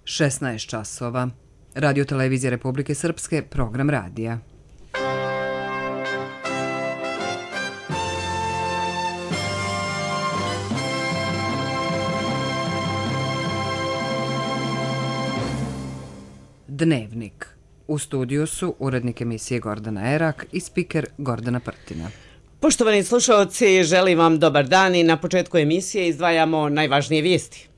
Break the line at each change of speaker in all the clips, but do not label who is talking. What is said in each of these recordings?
16 časova. Radio Televizija Republike Srpske, program radija. Dnevnik. U studiju su urednik emisije Gordana Erak i spiker Gordana Prtina.
Poštovani slušaoci, želim vam dobar dan i na početku emisije izdvajamo najvažnije vijesti.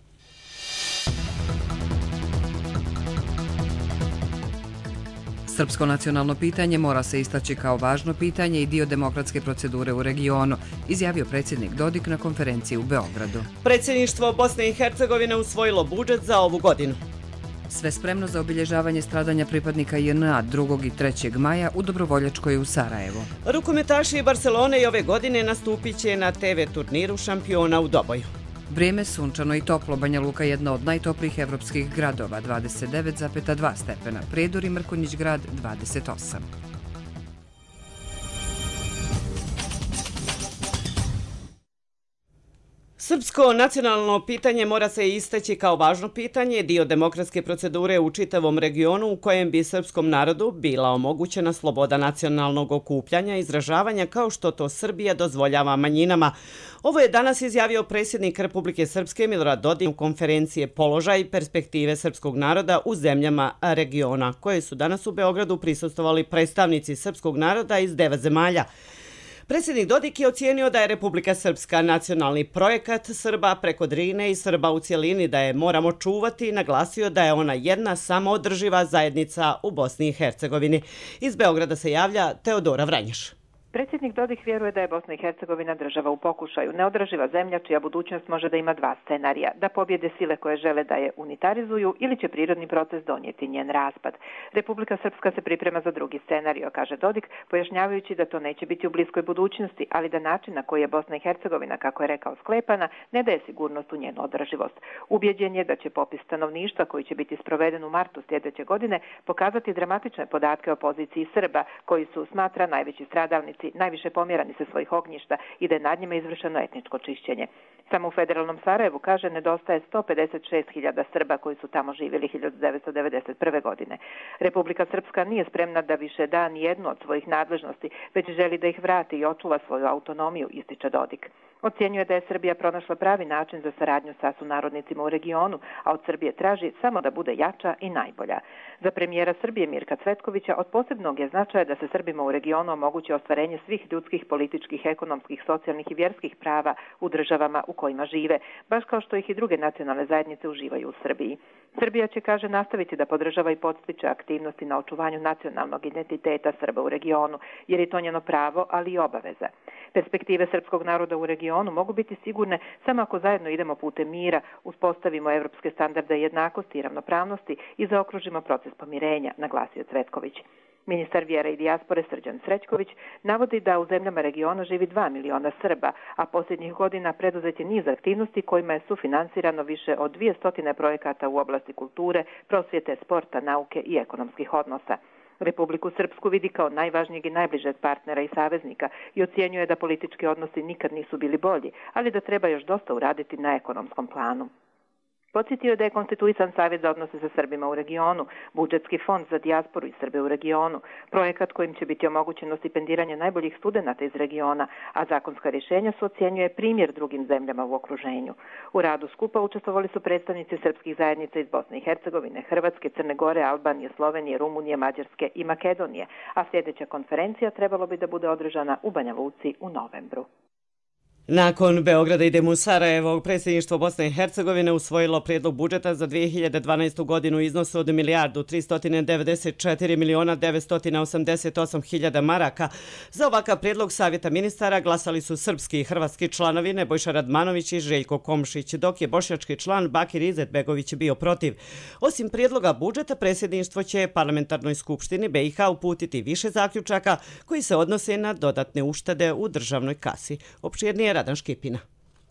Srpsko nacionalno pitanje mora se istaći kao važno pitanje i dio demokratske procedure u regionu, izjavio predsjednik Dodik na konferenciji u Beogradu.
Predsjedništvo Bosne i Hercegovine usvojilo budžet za ovu godinu.
Sve spremno za obilježavanje stradanja pripadnika JNA 2. i 3. maja u Dobrovoljačkoj u Sarajevu.
Rukometaši Barcelone i ove godine nastupit će na TV turniru šampiona u Doboju.
Vrijeme sunčano i toplo, Banja Luka jedna od najtoplijih evropskih gradova, 29,2 stepena, Prijedor i Mrkonjić grad 28.
Srpsko nacionalno pitanje mora se istaći kao važno pitanje, dio demokratske procedure u čitavom regionu u kojem bi srpskom narodu bila omogućena sloboda nacionalnog okupljanja i izražavanja kao što to Srbija dozvoljava manjinama. Ovo je danas izjavio predsjednik Republike Srpske Milorad Dodik u konferencije Položaj i perspektive srpskog naroda u zemljama regiona, koje su danas u Beogradu prisustvovali predstavnici srpskog naroda iz 9 zemalja. Predsjednik Dodik je ocijenio da je Republika Srpska nacionalni projekat Srba preko Drine i Srba u cjelini, da je moramo čuvati i naglasio da je ona jedna samoodrživa zajednica u Bosni i Hercegovini. Iz Beograda se javlja Teodora Vranješ.
Predsjednik Dodik vjeruje da je Bosna i Hercegovina država u pokušaju, neodrživa zemlja čija budućnost može da ima dva scenarija, da pobjede sile koje žele da je unitarizuju ili će prirodni proces donijeti njen raspad. Republika Srpska se priprema za drugi scenario, kaže Dodik, pojašnjavajući da to neće biti u bliskoj budućnosti, ali da način na koji je Bosna i Hercegovina, kako je rekao, sklepana, ne daje sigurnost u njenu održivost. Ubjeđen je da će popis stanovništva koji će biti sproveden u martu sljedeće godine pokazati dramatične podatke o poziciji Srba, koji su, smatra, najveći stradalnici, najviše pomjerani sa svojih ognjišta i da je nad njima izvršeno etničko čišćenje. Samo u federalnom Sarajevu, kaže, nedostaje 156.000 Srba koji su tamo živjeli 1991. godine. Republika Srpska nije spremna da više da ni jednu od svojih nadležnosti, već želi da ih vrati i očuva svoju autonomiju, ističe Dodik. Ocjenjuje da je Srbija pronašla pravi način za saradnju sa sunarodnicima u regionu, a od Srbije traži samo da bude jača i najbolja. Za premijera Srbije Mirka Cvetkovića od posebnog je značaja da se Srbima u regionu omogući ostvarenje svih ljudskih, političkih, ekonomskih, socijalnih i vjerskih prava u državama u kojima žive, baš kao što ih i druge nacionalne zajednice uživaju u Srbiji. Srbija će, kaže, nastaviti da podržava i podstiče aktivnosti na očuvanju nacionalnog identiteta Srba u regionu, jer je to njeno pravo, ali i obaveza. Perspektive srpskog naroda u regionu mogu biti sigurne samo ako zajedno idemo putem mira, uspostavimo evropske standarde jednakosti i ravnopravnosti i zaokružimo proces pomirenja, naglasio Cvetković. Ministar vjere i dijaspore Srđan Srećković navodi da u zemljama regiona živi 2 miliona Srba, a posljednjih godina preduzet je niz aktivnosti kojima je sufinansirano više od 200 projekata u oblasti kulture, prosvjete, sporta, nauke i ekonomskih odnosa. Republiku Srpsku vidi kao najvažnijeg i najbližeg partnera i saveznika i ocjenjuje da politički odnosi nikad nisu bili bolji, ali da treba još dosta uraditi na ekonomskom planu. Podsjetio je da je konstituisan Savjet za odnose sa Srbima u regionu, budžetski fond za dijasporu i Srbe u regionu, projekat kojim će biti omogućeno stipendiranje najboljih studenata iz regiona, a zakonska rješenja su, ocjenjuje, primjer drugim zemljama u okruženju. U radu skupa učestvovali su predstavnici srpskih zajednica iz Bosne i Hercegovine, Hrvatske, Crne Gore, Albanije, Slovenije, Rumunije, Mađarske i Makedonije, a sljedeća konferencija trebalo bi da bude održana u Banja Luci u novembru.
Nakon Beograda idemo u Sarajevo. Predsjedništvo Bosne i Hercegovine usvojilo prijedlog budžeta za 2012. godinu u iznosu od 1.394.988.000 maraka. Za ovakav prijedlog Savjeta ministara glasali su srpski i hrvatski članovi Nebojša Radmanović i Željko Komšić, dok je bošnjački član Bakir Izetbegović bio protiv. Osim prijedloga budžeta, predsjedništvo će Parlamentarnoj skupštini BiH uputiti više zaključaka koji se odnose na dodatne uštede u državnoj kasi. Opširnije Radan Škipina.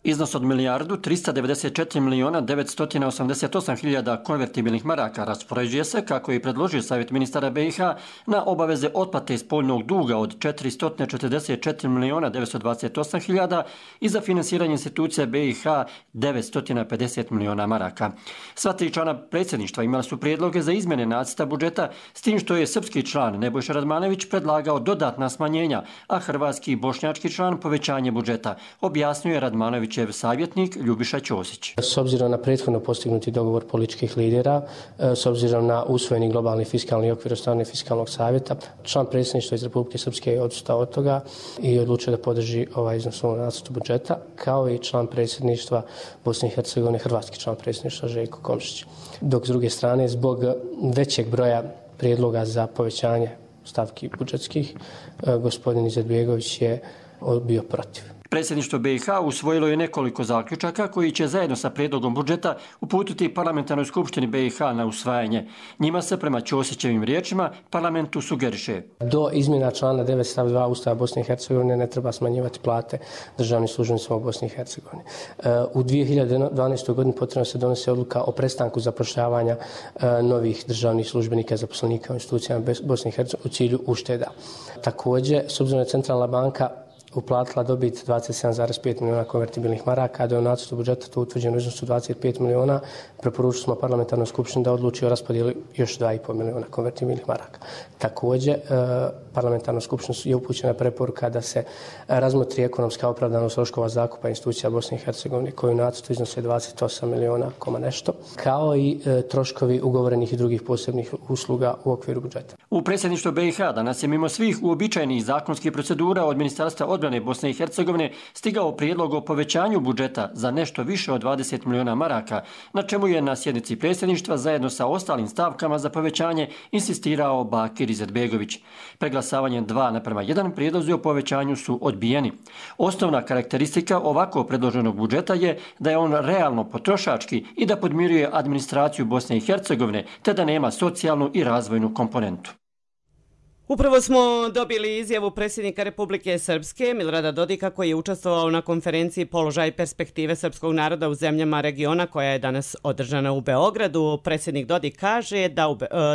Iznos od 1.394.988.000 konvertibilnih maraka raspoređuje se, kako je predložio Savjet ministara BiH, na obaveze otplate spoljnog duga od 444.928.000 i za finansiranje institucija BiH 950 milijuna maraka. Sva tri člana predsjedništva imali su prijedloge za izmjene nacrta budžeta, s tim što je srpski član Nebojša Radmanović predlagao dodatna smanjenja, a hrvatski i bošnjački član povećanje budžeta, objasnio je Radmanović savjetnik Ljubiša Ćosić.
S obzirom na prethodno postignuti dogovor političkih lidera, s obzirom na usvojeni globalni fiskalni okvir od strane Fiskalnog savjeta, član predsjedništva iz Republike Srpske je odustao od toga i odlučio da podrži ovaj iznos u nacrtu budžeta, kao i član predsjedništva Bosne i Hercegovine, hrvatski član predsjedništva Željko Komšić. Dok s druge strane, zbog većeg broja prijedloga za povećanje stavki budžetskih, gospodin Izetbegović je bio protiv.
Predsjedništvo BiH usvojilo je nekoliko zaključaka koji će zajedno sa prijedlogom budžeta uputiti parlamentarnoj skupštini BiH na usvajanje. Njima se, prema Ćosićevim riječima, parlamentu sugeriše:
do izmjena člana 9 stav 2 Ustava Bosne i Hercegovine ne treba smanjivati plate državnim službenicima u Bosni i Hercegovini. U 2012. godini potrebno se donese odluka o prestanku zapošljavanja novih državnih službenika i zaposlenika u institucijama Bosne i Hercegovine u cilju ušteda. Također, s obzirom da Centralna banka uplatila dobit 27,5 milijuna konvertibilnih maraka, a da je u nacrtu budžeta to utvrđeno u iznosu 25 milijuna, preporučili smo parlamentarnoj skupštini da odluči o raspodjeli još 2,5 milijuna konvertibilnih maraka. Također, parlamentarnoj skupštini je upućena preporuka da se razmotri ekonomska opravdanost troškova zakupa institucija Bosne i Hercegovine, koji u nacrtu iznose 28 milijuna nešto, kao i troškovi ugovorenih i drugih posebnih usluga u okviru budžeta.
U predsjedništvu BiH danas je mimo svih uobičajenih zakonskih procedura od Ministarstva odbrane Bosne i Hercegovine stigao prijedlog o povećanju budžeta za nešto više od 20 milijuna maraka, na čemu je na sjednici predsjedništva zajedno sa ostalim stavkama za povećanje insistirao Bakir Izetbegović. Preglasavanjem 2:1 prijedlozi o povećanju su odbijeni. Osnovna karakteristika ovako predloženog budžeta je da je on realno potrošački i da podmiruje administraciju Bosne i Hercegovine, te da nema socijalnu i razvojnu komponentu.
Upravo smo dobili izjavu predsjednika Republike Srpske Milorada Dodika, koji je učestvovao na konferenciji Položaj i perspektive srpskog naroda u zemljama regiona, koja je danas održana u Beogradu. Predsjednik Dodik kaže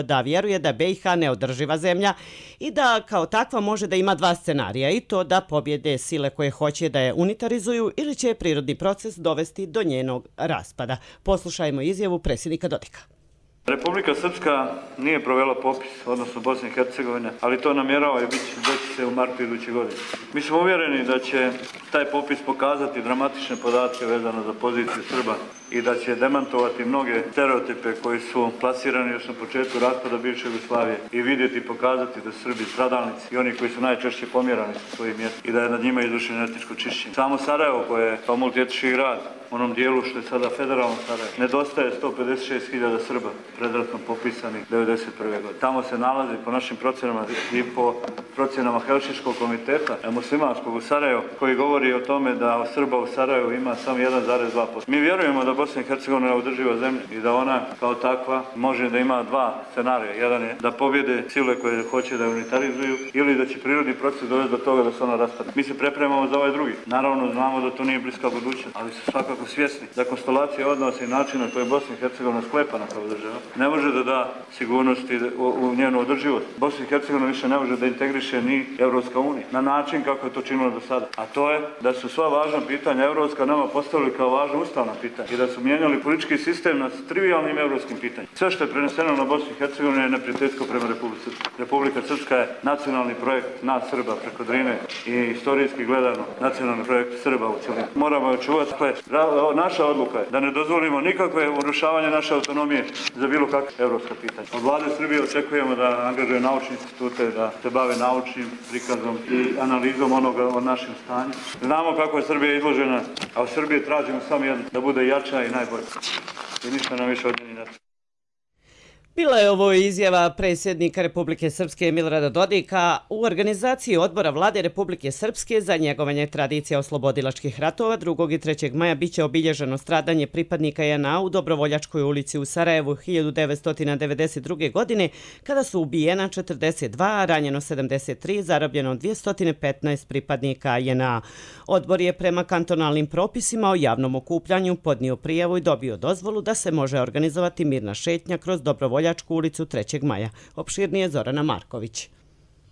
da vjeruje da BiH neodrživa zemlja i da kao takva može da ima dva scenarija, i to da pobjede sile koje hoće da je unitarizuju ili će prirodni proces dovesti do njenog raspada. Poslušajmo izjavu predsjednika Dodika.
Republika Srpska nije provela popis, odnosno Bosne i Hercegovine, ali to namjerava i biti se u martu iduće godine. Mi smo uvjereni da će taj popis pokazati dramatične podatke vezano za poziciju Srba i da će demantovati mnoge stereotipe koji su plasirani još na početku raspada bivše Jugoslavije i vidjeti i pokazati da su Srbi stradalnici i oni koji su najčešće pomjerani sa svojih mjesta i da je nad njima izvršeno etničko čišćenje. Samo Sarajevo, koje je kao multietnički grad, u onom dijelu što je sada federalno Sarajevo, nedostaje 156.000 Srba predratno popisani 1991. godine. Tamo se nalazi, po našim procjenama i po procjenama Helsinškog komiteta muslimanskog u Sarajevu, koji govori o tome da Srba u Sarajevu ima samo 1,2%. Mi vjerujemo da Bosna i Hercegovina je održiva zemlja i da ona kao takva može da ima dva scenarija. Jedan je da pobjede sile koje hoće da unitarizuju ili da će prirodni proces dovesti do toga da se ona raspadne. Mi se pripremamo za ovaj drugi. Naravno, znamo da to nije bliska budućnost, ali su svakako svjesni da konstelacija odnosa i načina koje je Bosna i Hercegovina sklepana kao država ne može da da sigurnosti u njenu održivost. Bosna i Hercegovina više ne može da integriše ni Evropska unija na način kako je to činilo do sada. A to je da su sva važna pitanja evropska nama postavili kao važna ustavna pitanja i da su mijenjali politički sistem na trivialnim evropskim pitanjima. Sve što je preneseno na Bosnu i Hercegovinu je neprijateljsko prema Republici Srpskoj. Republika Srpska je nacionalni projekt nas Srba preko Drine i historijski gledano nacionalni projekt Srba u cjelini. Moramo je čuvati. Naša odluka je da ne dozvolimo nikakve urušavanje naše autonomije za bilo kakve evropska pitanja. Od vlade Srbije očekujemo da angažuje naučne institute, da se bave naučnim prikazom i analizom onoga o našem stanju. Znamo kako je Srbija izložena, a u Srbiji tražimo samo jedno, da bude jača i najbolja. I ništa nam više od njeni.
Bila je ovo izjava predsjednika Republike Srpske Milorada Dodika u organizaciji odbora vlade Republike Srpske za njegovanje tradicija oslobodilačkih ratova. 2. i 3. maja biće obilježeno stradanje pripadnika JNA u Dobrovoljačkoj ulici u Sarajevu 1992. godine, kada su ubijena 42, a ranjeno 73, zarobljeno 215 pripadnika JNA. Odbor je prema kantonalnim propisima o javnom okupljanju podnio prijavu i dobio dozvolu da se može organizovati mirna šetnja kroz Dobrovoljačku ulicu 3. maja. Opširnije Zorana Marković.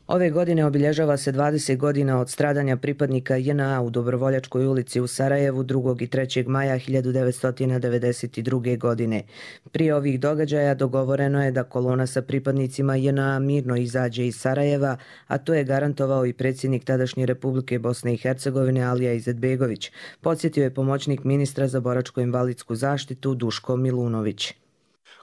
Ove godine obilježava se 20 godina od stradanja pripadnika JNA u Dobrovoljačkoj ulici u Sarajevu 2. i 3. maja 1992. godine. Prije ovih događaja dogovoreno je da kolona sa pripadnicima JNA mirno izađe iz Sarajeva, a to je garantovao i predsjednik tadašnje Republike Bosne i Hercegovine Alija Izetbegović, podsjetio je pomoćnik ministra za boračko-invalidsku zaštitu Duško Milunović.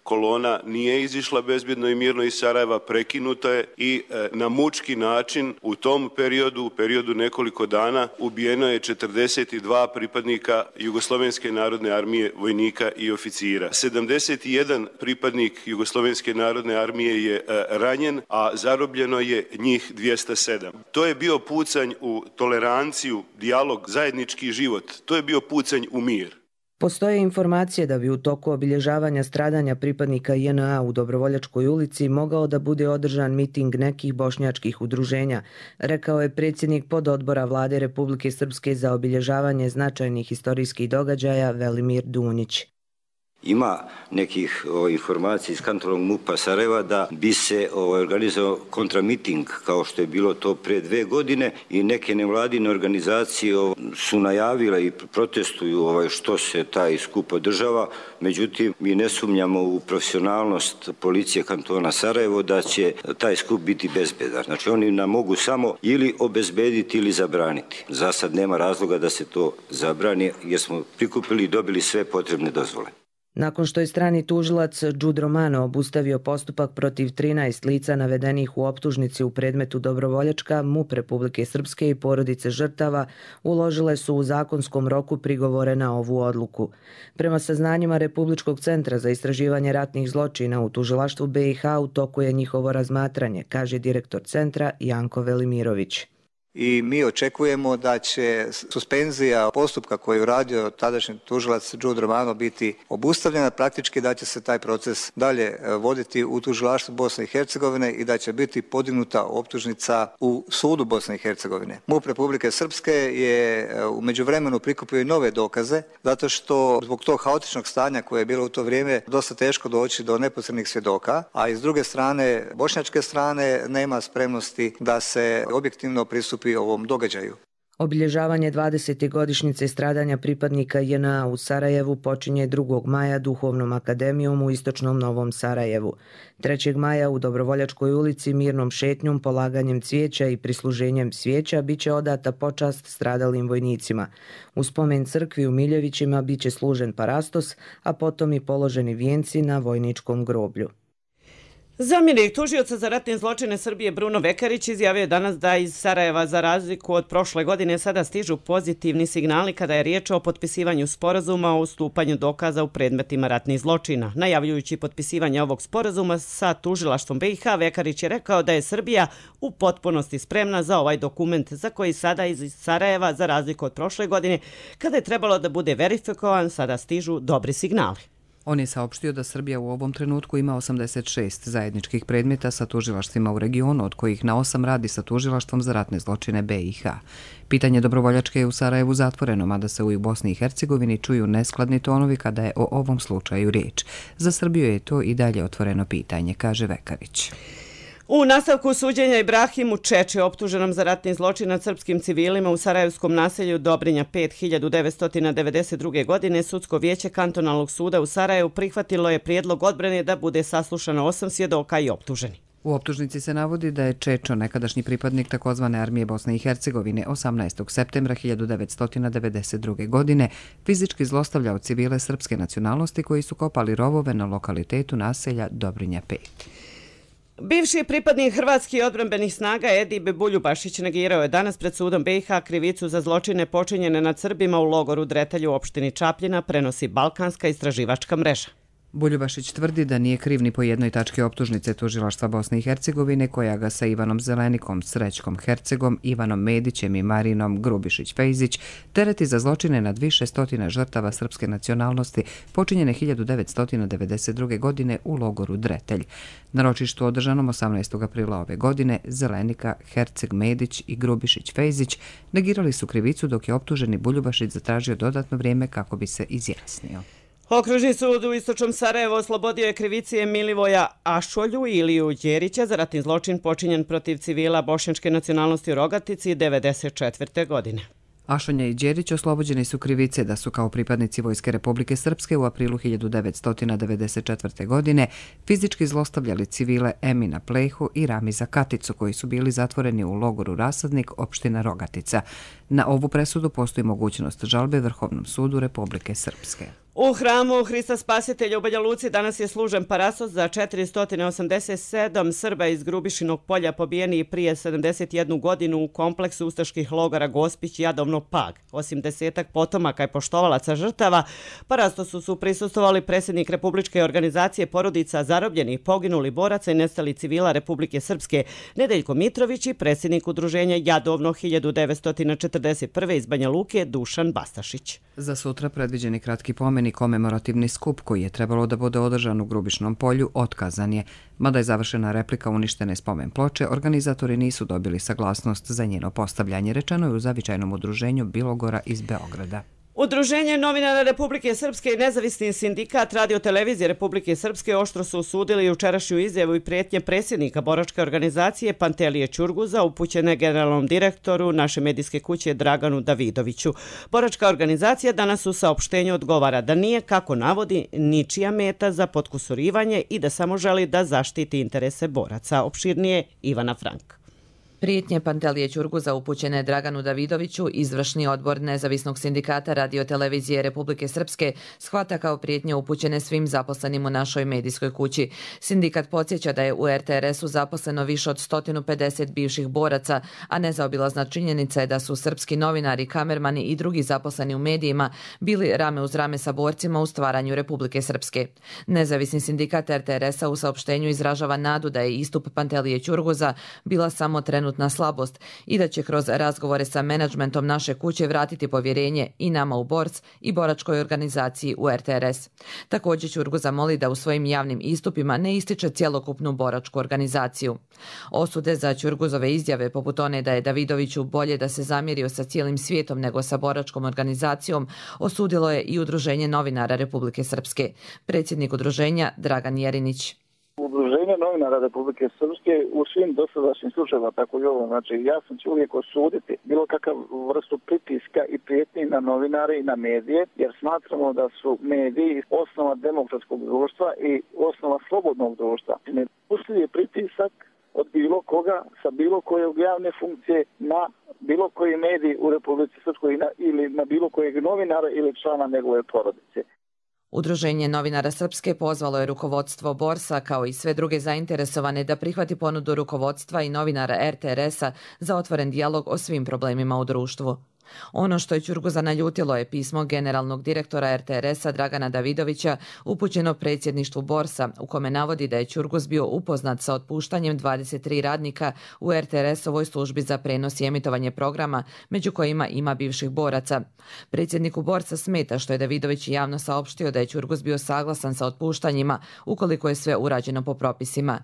Kolona nije izišla bezbjedno i mirno iz Sarajeva, prekinuta je i na mučki način u tom periodu, u periodu nekoliko dana, ubijeno je 42 pripadnika Jugoslovenske narodne armije, vojnika i oficira. 71 pripadnik Jugoslovenske narodne armije je ranjen, a zarobljeno je njih 207. To je bio pucanj u toleranciju, dijalog, zajednički život. To je bio pucanj u mir.
Postoje informacije da bi u toku obilježavanja stradanja pripadnika JNA u Dobrovoljačkoj ulici mogao da bude održan miting nekih bošnjačkih udruženja, rekao je predsjednik pododbora vlade Republike Srpske za obilježavanje značajnih historijskih događaja Velimir Dunjić.
Ima nekih informacija iz kantonalnog MUP-a Sarajeva da bi se organizovao kontramiting, kao što je bilo to pre 2 godine, i neke nevladine organizacije su najavile i protestuju što se taj skup održava. Međutim, mi ne sumnjamo u profesionalnost policije kantona Sarajevo da će taj skup biti bezbedan. Znači, oni nam mogu samo ili obezbediti ili zabraniti. Za sad nema razloga da se to zabrani, jer smo prikupili i dobili sve potrebne dozvole.
Nakon što je strani tužilac Đud Romano obustavio postupak protiv 13 lica navedenih u optužnici u predmetu Dobrovoljačka, MUP Republike Srpske i porodice žrtava uložile su u zakonskom roku prigovore na ovu odluku. Prema saznanjima Republičkog centra za istraživanje ratnih zločina u tužilaštvu BiH u toku je njihovo razmatranje, kaže direktor centra Janko Velimirović.
I mi očekujemo da će suspenzija postupka koji je uradio tadašnji tužilac Đud Romano biti obustavljena, praktički da će se taj proces dalje voditi u tužilaštvu Bosne i Hercegovine i da će biti podignuta optužnica u sudu Bosne i Hercegovine. MUP Republike Srpske je u međuvremenu prikupio i nove dokaze, zato što zbog tog haotičnog stanja koje je bilo u to vrijeme dosta teško doći do neposrednih svjedoka, a iz druge strane, bošnjačke strane, nema spremnosti da se objektivno pristupi ovom događaju.
Obilježavanje 20. godišnjice stradanja pripadnika JNA u Sarajevu počinje 2. maja Duhovnom akademijom u istočnom Novom Sarajevu. 3. maja u Dobrovoljačkoj ulici mirnom šetnjom, polaganjem cvijeća i prisluženjem svijeća biće odata počast stradalim vojnicima. U spomen crkvi u Miljevićima biće služen parastos, a potom i položeni vijenci na vojničkom groblju.
Zamjenik tužioca za ratne zločine Srbije Bruno Vekarić izjavio je danas da iz Sarajeva za razliku od prošle godine sada stižu pozitivni signali kada je riječ o potpisivanju sporazuma o ustupanju dokaza u predmetima ratnih zločina. Najavljujući potpisivanje ovog sporazuma sa tužilaštvom BiH, Vekarić je rekao da je Srbija u potpunosti spremna za ovaj dokument za koji sada iz Sarajeva za razliku od prošle godine kada je trebalo da bude verifikovan, sada stižu dobri signali.
On je saopštio da Srbija u ovom trenutku ima 86 zajedničkih predmeta sa tužilaštvima u regionu, od kojih na 8 radi sa tužilaštvom za ratne zločine BiH. Pitanje Dobrovoljačke je u Sarajevu zatvoreno, mada se u Bosni i Hercegovini čuju neskladni tonovi kada je o ovom slučaju riječ. Za Srbiju je to i dalje otvoreno pitanje, kaže Vekarić.
U nastavku suđenja Ibrahimu Čeče, optuženom za ratni zločin nad srpskim civilima u sarajevskom naselju Dobrinja 1992. godine, sudsko vijeće kantonalnog suda u Sarajevu prihvatilo je prijedlog odbrane da bude saslušano 8 svjedoka i optuženi.
U optužnici se navodi da je Čečo, nekadašnji pripadnik takozvane armije Bosne i Hercegovine, 18. septembra 1992. godine fizički zlostavljao civile srpske nacionalnosti koji su kopali rovove na lokalitetu naselja Dobrinja 5.
Bivši pripadnik hrvatskih odbrambenih snaga Edip Buljubašić negirao je danas pred sudom BiH krivicu za zločine počinjene nad Srbima u logoru Dretelj u opštini Čapljina, prenosi Balkanska istraživačka mreža.
Buljubašić tvrdi da nije kriv ni po jednoj tački optužnice tužilaštva Bosne i Hercegovine koja ga sa Ivanom Zelenikom, Srećkom Hercegom, Ivanom Medićem i Marinom Grubišić-Fejzić tereti za zločine nad više stotina žrtava srpske nacionalnosti počinjene 1992. godine u logoru Dretelj. Na ročištu održanom 18. aprila ove godine Zelenika, Herceg, Medić i Grubišić-Fejzić negirali su krivicu dok je optuženi Buljubašić zatražio dodatno vrijeme kako bi se izjasnio.
Okružni sud u istočnom Sarajevu oslobodio je krivice Milivoja Ašolju i Iliju Đerića za ratni zločin počinjen protiv civila bošnjačke nacionalnosti u Rogatici 1994. godine.
Ašonja i Đerić oslobođeni su krivice da su kao pripadnici Vojske Republike Srpske u aprilu 1994. godine fizički zlostavljali civile Emina Plehu i Ramiza Katicu koji su bili zatvoreni u logoru Rasadnik, opština Rogatica. Na ovu presudu postoji mogućnost žalbe Vrhovnom sudu Republike Srpske.
U hramu Hrista Spasitelja u Banja Luci danas je služen parasos za 487 Srba iz Grubišinog polja pobijeni prije 71 godinu u kompleksu ustaških logora Gospić i Jadovno Pag. Osim 10 potomaka i poštovalaca žrtava, parastosu su prisustvovali predsjednik Republičke organizacije porodica zarobljenih, poginulih boraca i nestalih civila Republike Srpske Nedeljko Mitrović i predsjednik udruženja Jadovno 1941. iz Banja Luke Dušan Bastašić.
Za sutra predviđeni kratki pomen i komemorativni skup koji je trebalo da bude održan u Grubišnom polju otkazan je. Mada je završena replika uništene spomen ploče, organizatori nisu dobili saglasnost za njeno postavljanje, rečeno je u zavičajnom udruženju Bilogora iz Beograda.
Udruženje novinara Republike Srpske i nezavisni sindikat Radio-televizije Republike Srpske oštro su osudili jučerašnju izjavu i prijetnje predsjednika boračke organizacije Pantelije Ćurguza upućene generalnom direktoru naše medijske kuće Draganu Davidoviću. Boračka organizacija danas u saopštenju odgovara da nije, kako navodi, ničija meta za potkusurivanje i da samo želi da zaštiti interese boraca. Opširnije Ivana Frank.
Prijetnje Pantelije Ćurguza upućene Draganu Davidoviću, izvršni odbor nezavisnog sindikata Radio-televizije Republike Srpske, shvata kao prijetnje upućene svim zaposlenim u našoj medijskoj kući. Sindikat podsjeća da je u RTRS-u zaposleno više od 150 bivših boraca, a nezaobilazna činjenica je da su srpski novinari, kamermani i drugi zaposleni u medijima bili rame uz rame sa borcima u stvaranju Republike Srpske. Nezavisni sindikat RTRS-a u saopštenju izražava nadu da je istup Pantelije Ćurguza bila samo trenutna slabost i da će kroz razgovore sa menadžmentom naše kuće vratiti povjerenje i nama u BORS i boračkoj organizaciji u RTRS. Također Ćurguza moli da u svojim javnim istupima ne ističe cjelokupnu boračku organizaciju. Osude za Ćurguzove izjave, poput one da je Davidoviću bolje da se zamjerio sa cijelim svijetom nego sa boračkom organizacijom, osudilo je i Udruženje novinara Republike Srpske. Predsjednik udruženja Dragan Jerinić.
Udruženje novinara Republike Srpske u svim dosadašnjim slučajevima, tako i ovo, znači jasno će uvijek osuditi bilo kakav vrstu pritiska i prijetnji na novinare i na medije, jer smatramo da su mediji osnova demokratskog društva i osnova slobodnog društva. Nedopustiv je pritisak od bilo koga sa bilo koje javne funkcije na bilo koji medij u Republici Srpskoj ili na bilo kojeg novinara ili člana njegove porodice.
Udruženje novinara Srpske pozvalo je rukovodstvo BORS-a kao i sve druge zainteresovane da prihvati ponudu rukovodstva i novinara RTRS-a za otvoren dijalog o svim problemima u društvu. Ono što je Ćurguza naljutilo je pismo generalnog direktora RTRS-a Dragana Davidovića upućeno predsjedništvu BORS-a u kome navodi da je Ćurguz bio upoznat sa otpuštanjem 23 radnika u RTRS-ovoj službi za prenos i emitovanje programa, među kojima ima bivših boraca. Predsjedniku BORS-a smeta što je Davidović javno saopštio da je Ćurguz bio saglasan sa otpuštanjima ukoliko je sve urađeno po propisima.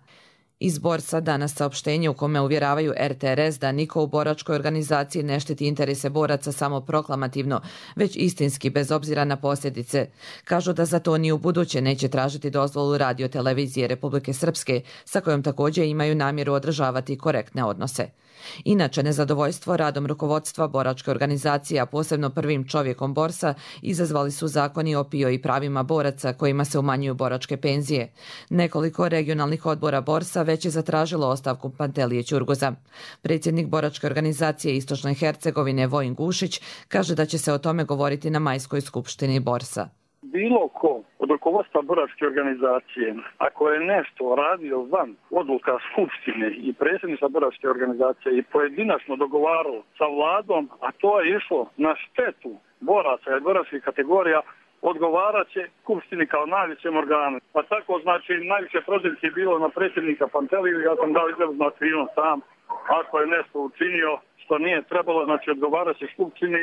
Iz BORS-a danas saopštenje u kome uvjeravaju RTRS da niko u boračkoj organizaciji ne štiti interese boraca samo proklamativno, već istinski bez obzira na posljedice. Kažu da za to ni u buduće neće tražiti dozvolu Radio-televizije Republike Srpske, sa kojom također imaju namjeru održavati korektne odnose. Inače, nezadovoljstvo radom rukovodstva boračke organizacije, a posebno prvim čovjekom BORS-a, izazvali su zakoni o PIO i pravima boraca kojima se umanjuju boračke penzije. Nekoliko regionalnih odbora BORS-a već je zatražilo ostavku Pantelije Ćurguza. Predsjednik boračke organizacije Istočne Hercegovine Vojin Gušić kaže da će se o tome govoriti na majskoj skupštini BORS-a.
Bilo ko od rukovodstva boračke organizacije, ako je nešto radio van odluka skupštine i predsjednika boračke organizacije i pojedinačno dogovaralo sa vladom, a to je išlo na štetu boraca i boračkih kategorija,
odgovarat će Skupštini kao najvećem organu. Pa tako, znači, najviše prozivke je bilo na predsjednika Panteliju, ja sam dao izraznu aktivnost sam. Ako je nešto učinio što nije trebalo, znači odgovarat će Skupštini.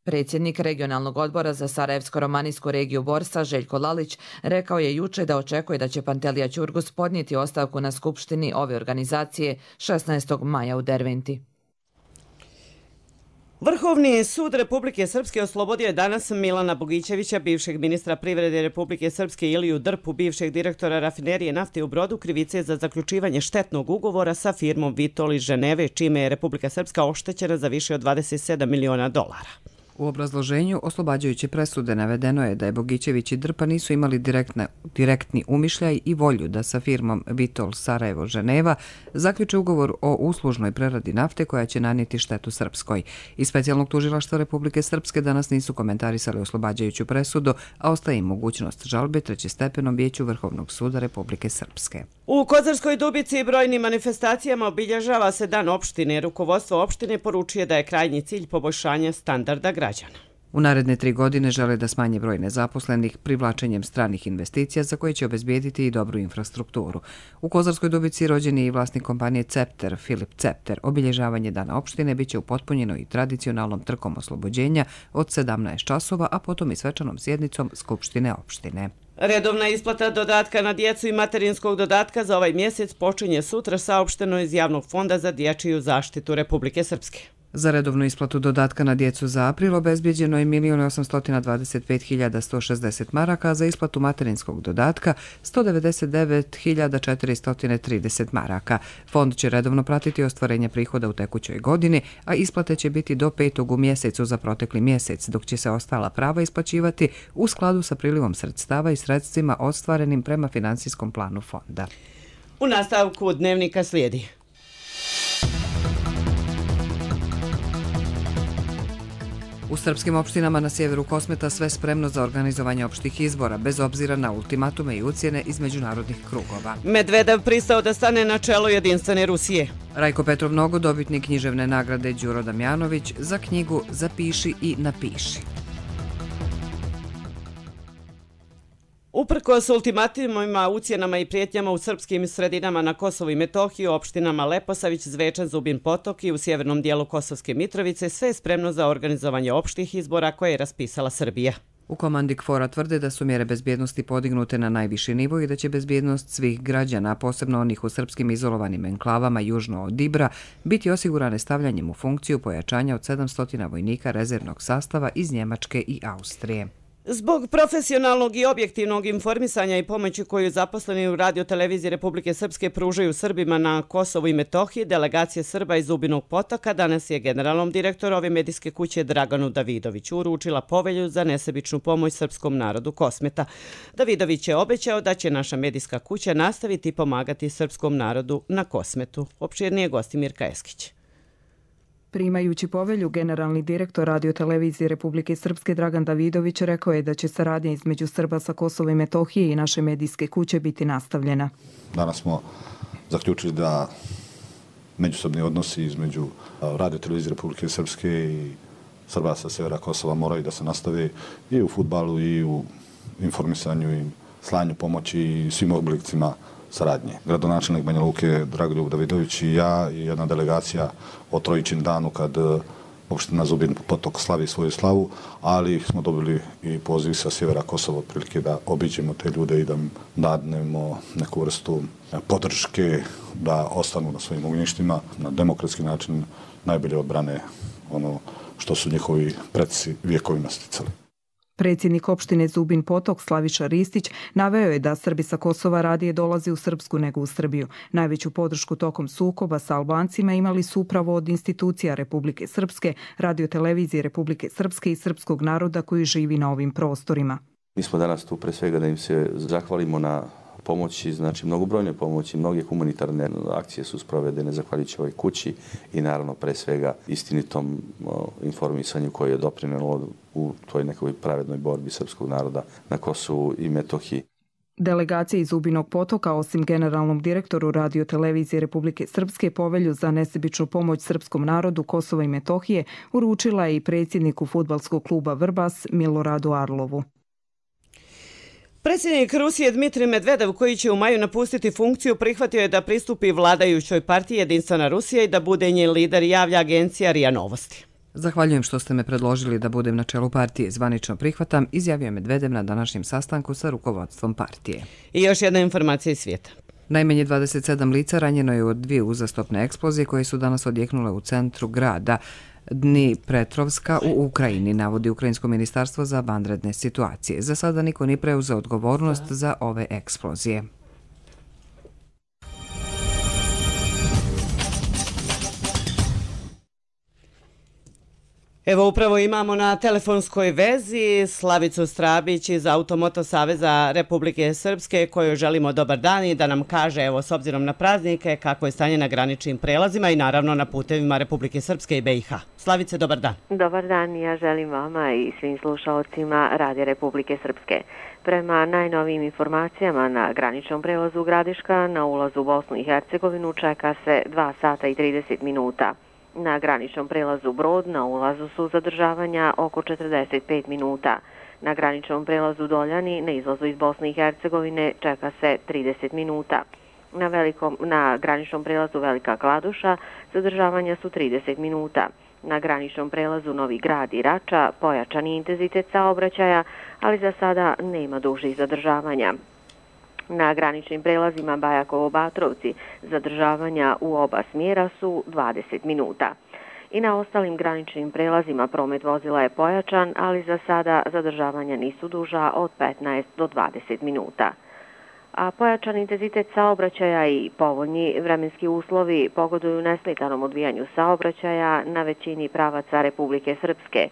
Predsjednik regionalnog odbora za Sarajevsko-romanijsku regiju Borsa, Željko Lalić, rekao je juče da očekuje da će Pantelija Ćurgus podnijeti ostavku na skupštini ove organizacije 16. maja u Derventi.
Vrhovni sud Republike Srpske oslobodio je danas Milana Bogićevića, bivšeg ministra privrede Republike Srpske, Iliju Drpu, bivšeg direktora rafinerije nafte u Brodu, krivice za zaključivanje štetnog ugovora sa firmom Vitol iz Ženeve, čime je Republika Srpska oštećena za više od 27 miliona dolara.
U obrazloženju oslobađajuće presude navedeno je da je Bogićević i Drpa nisu imali direktni umišljaj i volju da sa firmom Vitol Sarajevo Ženeva zaključe ugovor o uslužnoj preradi nafte koja će nanijeti štetu Srpskoj. Iz specijalnog tužilaštva Republike Srpske danas nisu komentarisali oslobađajuću presudu, a ostaje im mogućnost žalbe trećestepenom vijeću Vrhovnog suda Republike Srpske.
U Kozarskoj Dubici i brojnim manifestacijama obilježava se dan opštine. Rukovodstvo opštine poručuje da je krajnji cilj poboljšanja standarda građana.
U naredne 3 godine žele da smanje broj nezaposlenih privlačenjem stranih investicija za koje će obezbijediti i dobru infrastrukturu. U Kozarskoj Dubici rođen je i vlasnik kompanije Cepter, Filip Cepter. Obilježavanje dana opštine biće upotpunjeno i tradicionalnom trkom oslobođenja od 17 časova, a potom i svečanom sjednicom Skupštine opštine.
Redovna isplata dodatka na djecu i materinskog dodatka za ovaj mjesec počinje sutra, saopšteno iz Javnog fonda za dječju zaštitu Republike Srpske.
Za redovnu isplatu dodatka na djecu za april obezbijeđeno je 1.825.160 maraka, a za isplatu materinskog dodatka 199.430 maraka. Fond će redovno pratiti ostvarenje prihoda u tekućoj godini, a isplate će biti do 5. u mjesecu za protekli mjesec, dok će se ostala prava isplaćivati u skladu sa prilivom sredstava i sredstvima ostvarenim prema finansijskom planu fonda.
U nastavku dnevnika slijedi.
U srpskim opštinama na sjeveru Kosmeta sve spremno za organizovanje opštih izbora, bez obzira na ultimatume i ucjene iz međunarodnih krugova.
Medvedev pristao da stane na čelo jedinstvene Rusije.
Rajko Petrov Nogo, dobitnik književne nagrade Đuro Damjanović za knjigu Zapiši i napiši.
Uprkos ultimatumima, ucjenama i prijetnjama u srpskim sredinama na Kosovu i Metohiji, opštinama Leposavić, Zvečan, Zubin Potok i u sjevernom dijelu Kosovske Mitrovice, sve je spremno za organizovanje opštih izbora koje je raspisala Srbija.
U komandi KFOR-a tvrde da su mjere bezbjednosti podignute na najviši nivo i da će bezbjednost svih građana, posebno onih u srpskim izolovanim enklavama južno od Ibra, biti osigurane stavljanjem u funkciju pojačanja od 700 vojnika rezervnog sastava iz Njemačke i Austrije.
Zbog profesionalnog i objektivnog informisanja i pomoći koju zaposleni u radioteleviziji Republike Srpske pružaju Srbima na Kosovu i Metohiji, delegacija Srba iz Zubinog Potoka danas je generalnom direktoru ove medijske kuće Draganu Davidoviću uručila povelju za nesebičnu pomoć srpskom narodu Kosmeta. Davidović je obećao da će naša medijska kuća nastaviti pomagati srpskom narodu na Kosmetu. Opširnije Gostimirka Eskić.
Primajući povelju, generalni direktor radiotelevizije Republike Srpske Dragan Davidović rekao je da će saradnja između Srba sa Kosova i Metohije i naše medijske kuće biti nastavljena.
Danas smo zaključili da međusobni odnosi između radiotelevizije Republike Srpske i Srba sa severa Kosova moraju da se nastave i u fudbalu i u informisanju i slanju pomoći i svim oblicima saradnje. Gradonačelnik Banja Luke Dragoljub Davidović i ja i jedna delegacija o Trojičin danu kad opština Zubin Potok slavi svoju slavu, ali smo dobili i poziv sa sjevera Kosova prilike da obiđemo te ljude i da dadnemo neku vrstu podrške da ostanu na svojim ognjištima na demokratski način najbolje odbrane ono što su njihovi preci vjekovima sticali.
Predsjednik opštine Zubin Potok Slaviša Ristić naveo je da Srbi sa Kosova radije dolazi u Srpsku nego u Srbiju. Najveću podršku tokom sukoba sa Albancima imali su upravo od institucija Republike Srpske, radiotelevizije Republike Srpske i srpskog naroda koji živi na ovim prostorima.
Mi smo danas tu pre svega da im se zahvalimo na pomoći, znači mnogobrojne pomoći, mnoge humanitarne akcije su sprovedene zahvaljujući ovoj kući i naravno pre svega istinitom informisanju koje je doprinelo u toj nekoj pravednoj borbi srpskog naroda na Kosovu i Metohiji.
Delegacija iz Zubinog Potoka, osim generalnom direktoru radiotelevizije Republike Srpske, povelju za nesebičnu pomoć srpskom narodu Kosova i Metohije uručila je i predsjedniku fudbalskog kluba Vrbas Miloradu Arlovu.
Predsjednik Rusije Dmitrij Medvedev, koji će u maju napustiti funkciju, prihvatio je da pristupi vladajućoj partiji Jedinstvena Rusija i da bude njen lider, javlja agencija RIA Novosti.
Zahvaljujem što ste me predložili da budem na čelu partije. Zvanično prihvatam, izjavio je Medvedev na današnjem sastanku sa rukovodstvom partije.
I još jedna informacija iz svijeta.
Najmanje 27 lica ranjeno je od 2 uzastopne eksplozije koje su danas odjeknule u centru grada Dnipretrovska u Ukrajini, navodi Ukrajinsko ministarstvo za vanredne situacije. Za sada niko nije preuzeo odgovornost za ove eksplozije.
Evo upravo imamo na telefonskoj vezi Slavicu Strabić iz Automoto Saveza Republike Srpske, kojoj želimo dobar dan i da nam kaže, evo s obzirom na praznike, kako je stanje na graničnim prelazima i naravno na putevima Republike Srpske i BiH. Slavice, dobar dan.
Dobar dan, ja želim vama i svim slušalcima Radija Republike Srpske. Prema najnovijim informacijama na graničnom prelazu Gradiška na ulazu u Bosnu i Hercegovinu čeka se 2 sata i 30 minuta. Na graničnom prelazu Brod na ulazu su zadržavanja oko 45 minuta. Na graničnom prelazu Doljani na izlazu iz Bosne i Hercegovine čeka se 30 minuta. Na graničnom prelazu Velika Kladuša zadržavanja su 30 minuta. Na graničnom prelazu Novi Grad i Rača pojačan je intenzitet saobraćaja, ali za sada nema dužih zadržavanja. Na graničnim prelazima Bajakovo-Batrovci zadržavanja u oba smjera su 20 minuta. I na ostalim graničnim prelazima promet vozila je pojačan, ali za sada zadržavanja nisu duža od 15 do 20 minuta. A pojačan intenzitet saobraćaja i povoljni vremenski uslovi pogoduju nesmetanom odvijanju saobraćaja na većini pravaca Republike Srpske.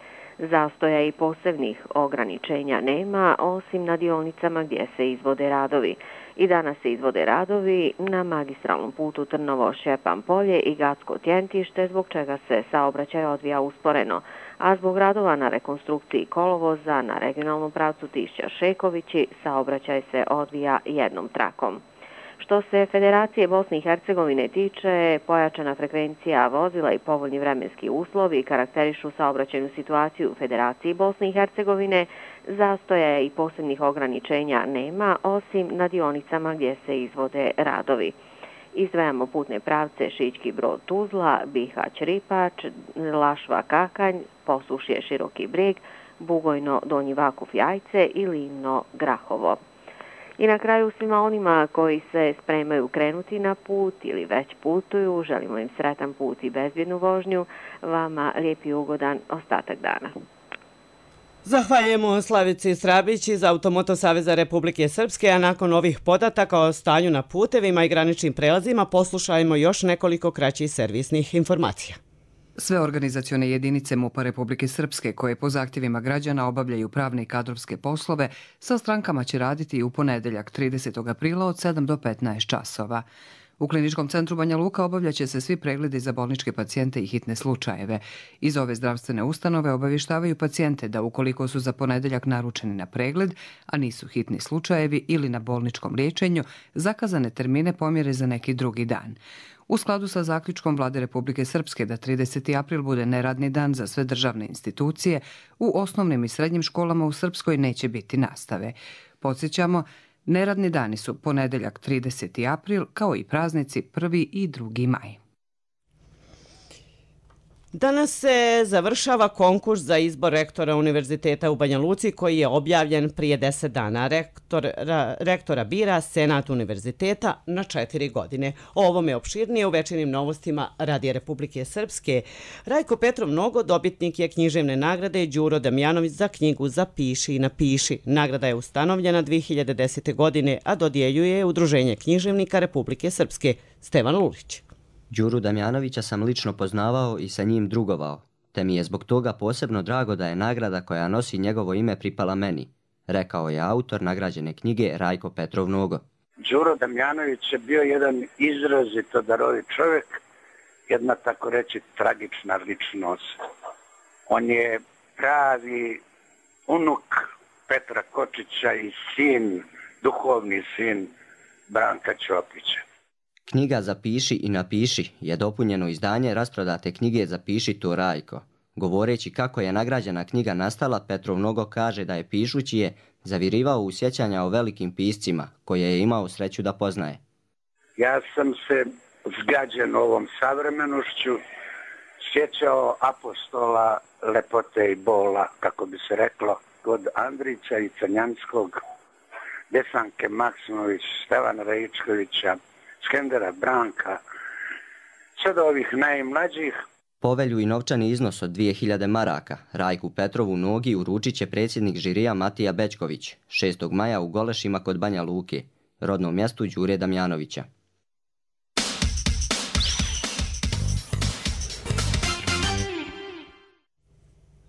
Zastoja i posebnih ograničenja nema, osim na dionicama gdje se izvode radovi. I danas se izvode radovi na magistralnom putu Trnovo-Šćepan polje i Gacko-Tjentište, zbog čega se saobraćaj odvija usporeno, a zbog radova na rekonstrukciji kolovoza na regionalnom pravcu Tišća-Šekovići saobraćaj se odvija jednom trakom. Što se Federacije Bosne i Hercegovine tiče, pojačana frekvencija vozila i povoljni vremenski uslovi karakterišu saobraćajnu situaciju u Federaciji Bosne i Hercegovine, zastoja i posebnih ograničenja nema, osim na dionicama gdje se izvode radovi. Izdvajamo putne pravce Šićki Brod-Tuzla, Bihać-Ripač, Lašva-Kakanj, Posušje Široki Brijeg, Bugojno-Donji Vakuf-Jajce i Livno-Grahovo. I na kraju svima onima koji se spremaju krenuti na put ili već putuju, želimo im sretan put i bezbjednu vožnju, vama lijep i ugodan ostatak dana.
Zahvaljujemo Slavici Strabić iz Automoto Saveza Republike Srpske, a nakon ovih podataka o stanju na putevima i graničnim prelazima poslušajmo još nekoliko kraćih servisnih informacija.
Sve organizacione jedinice MUP-a Republike Srpske koje po zahtjevima građana obavljaju pravne i kadrovske poslove sa strankama će raditi i u ponedeljak 30. aprila od 7 do 15 časova. U Kliničkom centru Banja Luka obavljaće se svi pregledi za bolničke pacijente i hitne slučajeve. Iz ove zdravstvene ustanove obavještavaju pacijente da ukoliko su za ponedeljak naručeni na pregled, a nisu hitni slučajevi ili na bolničkom liječenju, zakazane termine pomjere za neki drugi dan. U skladu sa zaključkom Vlade Republike Srpske da 30. april bude neradni dan za sve državne institucije, u osnovnim i srednjim školama u Srpskoj neće biti nastave. Podsjećamo, neradni dani su ponedeljak 30. april, kao i praznici 1. i 2. maj.
Danas se završava konkurs za izbor rektora Univerziteta u Banja Luci koji je objavljen prije 10 dana. Rektora bira Senat Univerziteta na 4 godine. O ovome opširnije u Večernjim novostima Radija Republike Srpske. Rajko Petrov Nogo dobitnik je književne nagrade Đuro Damjanović za knjigu Zapiši i napiši. Nagrada je ustanovljena 2010. godine, a dodjeljuje je Udruženje književnika Republike Srpske. Stevan Lulić.
Đuru Damjanovića sam lično poznavao i sa njim drugovao, te mi je zbog toga posebno drago da je nagrada koja nosi njegovo ime pripala meni, rekao je autor nagrađene knjige Rajko Petrov Nogo.
Đuro Damjanović je bio jedan izrazito darovit čovjek, jedna tako reći tragična ličnost. On je pravi unuk Petra Kočića i sin, duhovni sin Branka Ćopića.
Knjiga Zapiši i napiši je dopunjeno izdanje rasprodate knjige Zapiši to Rajko, Govoreći kako je nagrađena knjiga nastala, Petrov mnogo kaže da je pišući je zavirivao u sjećanja o velikim piscima koje je imao sreću da poznaje.
Ja sam se zgađen ovom savremenošću sjećao apostola lepote i bola, kako bi se reklo, kod Andrića i Crnjanskog, Desanke Maksimović, Stevana Rajičkovića, Skendera Branka, sve do ovih najmlađih.
Povelju i novčani iznos od 2000 maraka Rajku Petrovu Nogi uručit će predsjednik žirija Matija Bećković 6. maja u Golešima kod Banja Luke, rodnom mjestu Đure Damjanovića.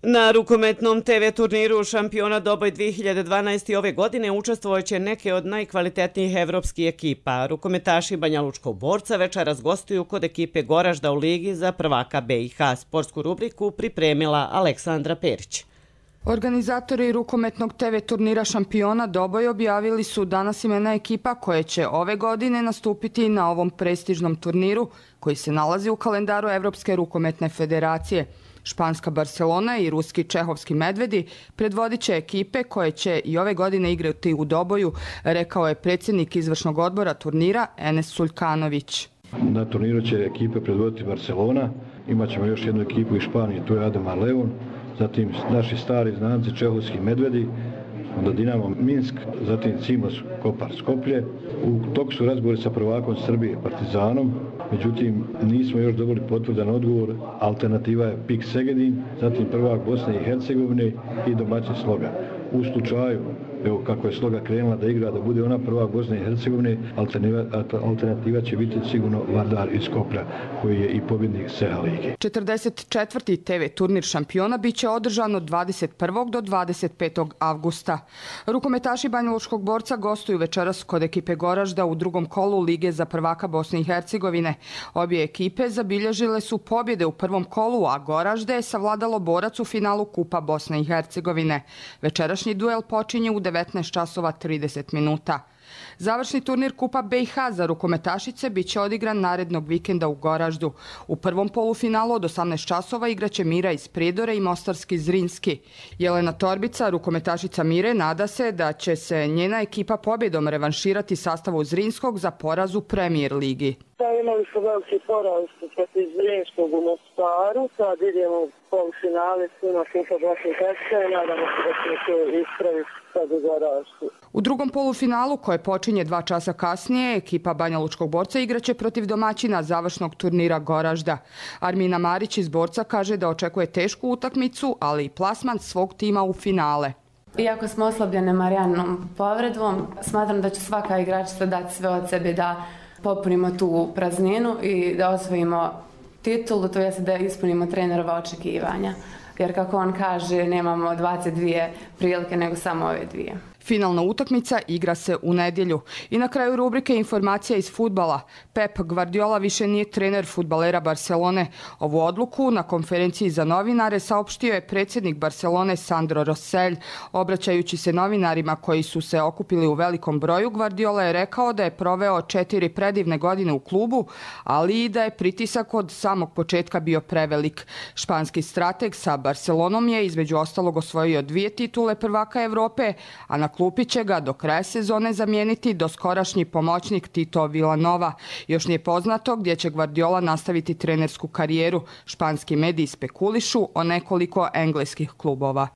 Na rukometnom TV turniru Šampiona Doboj 2012. ove godine učestvovaće neke od najkvalitetnijih evropskih ekipa. Rukometaši Banjalučkog Borca večeras gostuju kod ekipe Goražda u Ligi za prvaka BiH. Sportsku rubriku pripremila Aleksandra Perić.
Organizatori rukometnog TV turnira Šampiona Doboj objavili su danas imena ekipa koje će ove godine nastupiti na ovom prestižnom turniru koji se nalazi u kalendaru Evropske rukometne federacije. Španska Barcelona i ruski Čehovski Medvedi predvodit će ekipe koje će i ove godine igrati u Doboju, rekao je predsjednik izvršnog odbora turnira Enes Suljkanović.
Na turniru će ekipe predvoditi Barcelona, imat ćemo još jednu ekipu iz Španije, tu je Ademar Leon, zatim naši stari znanci Čehovski Medvedi, onda Dinamo Minsk, zatim Cimos Kopar Skoplje. U toku su razgovori sa prvakom Srbije Partizanom, međutim nismo još dobili potvrdan odgovor. Alternativa je PIK Segedin, zatim prvak Bosne i Hercegovine i domaćin Sloga. U slučaju, evo kako je Sloga krenula da igra, da bude ona prvak Bosne i Hercegovine, alternativa će biti sigurno Vardar iz Skoplja, koji je i pobjednik SEHA lige.
44. TV turnir Šampiona biće održan od 21. do 25. avgusta. Rukometaši Banjalučkog Borca gostuju večeras kod ekipe Goražda u drugom kolu Lige za prvaka Bosne i Hercegovine. Obje ekipe zabilježile su pobjede u prvom kolu, a Goražde je savladalo Borac u finalu Kupa Bosne i Hercegovine. Večerašnji duel počinje u 19 časova 30 minuta. Završni turnir Kupa BiH za rukometašice biće odigran narednog vikenda u Goraždu. U prvom polufinalu od 18 časova igraće Mira iz Prijedora i Mostarski Zrinski. Jelena Torbica, rukometašica Mire, nada se da će se njena ekipa pobjedom revanširati sastavu Zrinskog za poraz u Premier ligi.
Imali smo veliki poraz protiv Zrinskog u Mostaru, sad idemo u polufinale s njima Kupa Bosne i Hercegovine, nadamo se da ćemo to ispraviti sad u Goraždu.
U drugom polufinalu, koje počinje 2 časa kasnije, ekipa Banjalučkog Borca igraće protiv domaćina završnog turnira Goražda. Armina Marić iz Borca kaže da očekuje tešku utakmicu, ali i plasman svog tima u finale.
Iako smo oslabljene Marijanom povredom, smatram da će svaka igračica dati sve od sebe da popunimo tu prazninu i da osvojimo titulu, to jest da ispunimo trenerova očekivanja. Jer kako on kaže, nemamo 22 prilike, nego samo ove dvije.
Finalna utakmica igra se u nedjelju. I na kraju rubrike informacija iz fudbala. Pep Guardiola više nije trener fudbalera Barcelone. Ovu odluku na konferenciji za novinare saopštio je predsjednik Barcelone Sandro Rosell. Obraćajući se novinarima koji su se okupili u velikom broju, Guardiola je rekao da je proveo 4 predivne godine u klubu, ali i da je pritisak od samog početka bio prevelik. Španski strateg sa Barcelonom je između ostalog osvojio 2 titule prvaka Evrope, a na klupi će ga do kraja sezone zamijeniti doskorašnji pomoćnik Tito Vilanova. Još nije poznato gdje će Guardiola nastaviti trenersku karijeru. Španski mediji spekulišu o nekoliko engleskih klubova.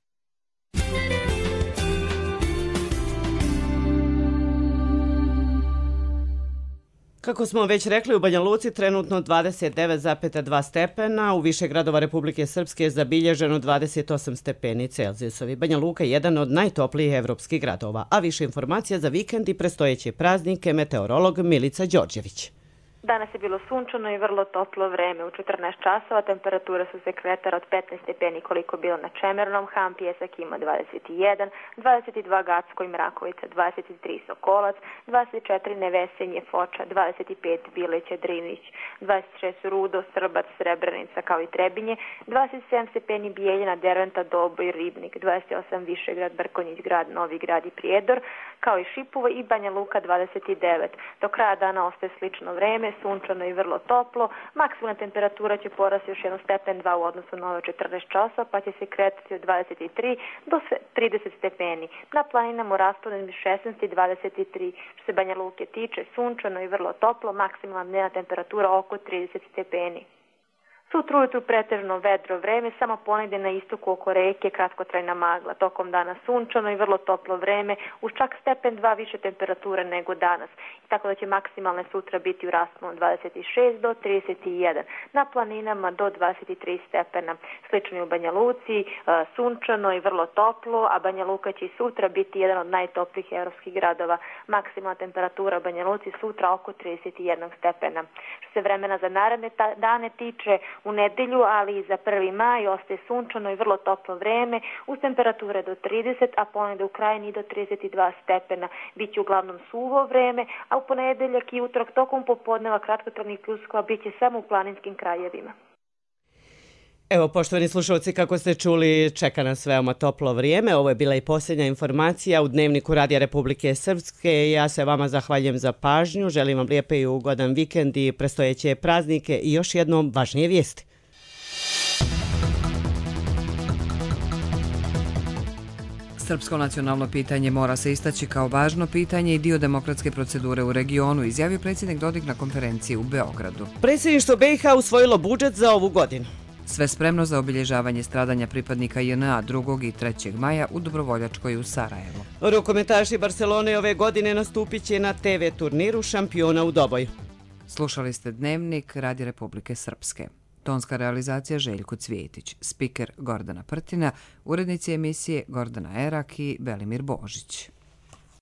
Kako smo već rekli, u Banja Luci trenutno 29,2 stepena, u više gradova Republike Srpske je zabilježeno 28 stepeni Celzijusovi. Banja Luka je jedan od najtoplijih evropskih gradova, a više informacija za vikend i predstojeće praznike meteorolog Milica Đorđević.
Danas je bilo sunčano i vrlo toplo vreme. U 14 časova temperature su se kretale od 15 stepeni koliko bilo na Čemernom, Ham Pjesak ima 21, 22 Gacko i Mrakovica, 23 Sokolac, 24 Nevesenje, Foča, 25 Bileće, Drinić, 26 Rudo, Srbac, Srebrenica kao i Trebinje, 27 stepeni Bijeljina, Derventa, Doboj, Ribnik, 28 Višegrad, Brkonjić grad, Novi grad i Prijedor, kao i Šipovo i Banja Luka 29. Do kraja dana ostaje slično vreme sunčano i vrlo toplo. Maksimalna temperatura će porasti još 1 stepen 2 u odnosu na ove 14 časa, pa će se kretati od 23 do 30 stepeni. Na planinama u rasponu između 16 i 23. Što se Banja Luke tiče, sunčano i vrlo toplo, maksimalna dnevna temperatura oko 30 stepeni. Sutra ujutru pretežno vedro vreme, samo ponegde na istoku oko reke kratkotrajna magla. Tokom dana sunčano i vrlo toplo vreme, uz čak stepen 2 više temperature nego danas. Tako da će maksimalne sutra biti u rasponu 26 do 31. Na planinama do 23 stepena. Slično i u Banja Luci, sunčano i vrlo toplo, a Banja Luka će i sutra biti jedan od najtoplijih evropskih gradova. Maksimalna temperatura u Banja Luci sutra oko 31 stepena. Što se vremena za naredne dane tiče, u nedelju, ali i za 1. maj ostaje sunčano i vrlo toplo vreme, uz temperature do 30, a ponegde u Krajini do 32 stepena. Biće uglavnom suvo vreme, a u ponedeljak i utorak tokom popodneva kratkotrajnih pljuskova biće samo u planinskim krajevima.
Evo, poštovani slušalci, kako ste čuli, čeka nas veoma toplo vrijeme. Ovo je bila i posljednja informacija u Dnevniku Radija Republike Srpske. Ja se vama zahvaljujem za pažnju, želim vam lijepe i ugodan vikend i predstojeće praznike i još jednom važnije vijesti.
Srpsko nacionalno pitanje mora se istaći kao važno pitanje i dio demokratske procedure u regionu, izjavio predsjednik Dodik na konferenciji u Beogradu.
Predsjedništvo BiH usvojilo budžet za ovu godinu.
Sve spremno za obilježavanje stradanja pripadnika JNA 2. i 3. maja u Dobrovoljačkoj u Sarajevu.
Rukometaši Barcelone ove godine nastupit će na TV turniru šampiona u Doboju.
Slušali ste Dnevnik Radija Republike Srpske. Tonska realizacija Željko Cvijetić, spiker Gordana Prtina, urednici emisije Gordana Erak i Belimir Božić.